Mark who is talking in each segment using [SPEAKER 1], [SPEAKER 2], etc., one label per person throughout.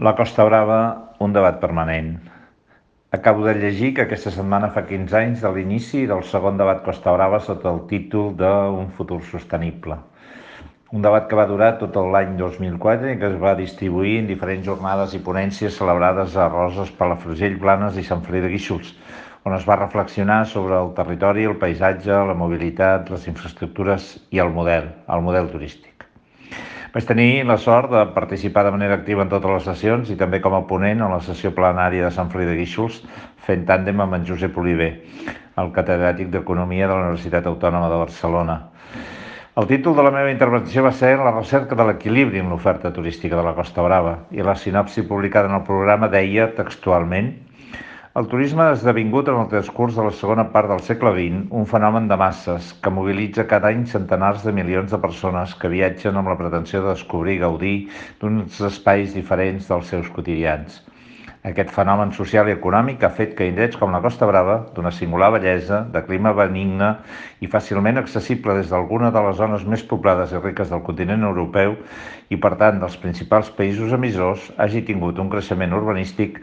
[SPEAKER 1] La Costa Brava, un debat permanent. Acabo de llegir que aquesta setmana fa 15 anys de l'inici del segon debat Costa Brava sota el títol d'Un futur sostenible. Un debat que va durar tot l'any 2004 i que es va distribuir en diferents jornades i ponències celebrades a Roses, Palafrugell, Blanes i Sant Feliu de Guíxols, on es va reflexionar sobre el territori, el paisatge, la mobilitat, les infraestructures i el model turístic. Vaig tenir la sort de participar de manera activa en totes les sessions i també com a ponent en la sessió plenària de Sant Feliu de Guíxols, fent tàndem amb en Josep Oliver, el catedràtic d'Economia de la Universitat Autònoma de Barcelona. El títol de la meva intervenció va ser La recerca de l'equilibri en l'oferta turística de la Costa Brava i la sinopsi publicada en el programa deia textualment: el turisme ha esdevingut en el transcurs de la segona part del segle XX un fenomen de masses que mobilitza cada any centenars de milions de persones que viatgen amb la pretensió de descobrir i gaudir d'uns espais diferents dels seus quotidians. Aquest fenomen social i econòmic ha fet que indrets com la Costa Brava, d'una singular bellesa, de clima benigne i fàcilment accessible des d'alguna de les zones més poblades i riques del continent europeu i, per tant, dels principals països emissors, hagi tingut un creixement urbanístic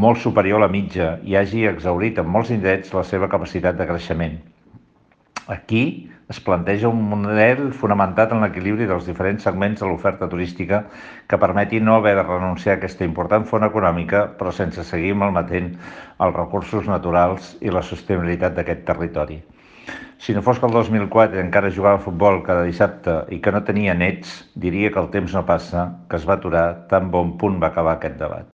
[SPEAKER 1] molt superior a la mitja i hagi exhaurit en molts indrets la seva capacitat de creixement. Aquí es planteja un model fonamentat en l'equilibri dels diferents segments de l'oferta turística que permeti no haver de renunciar a aquesta important font econòmica, però sense seguir malmetent els recursos naturals i la sostenibilitat d'aquest territori. Si no fos que el 2004 encara jugava a futbol cada dissabte i que no tenia nets, diria que el temps no passa, que es va aturar tan bon punt va acabar aquest debat.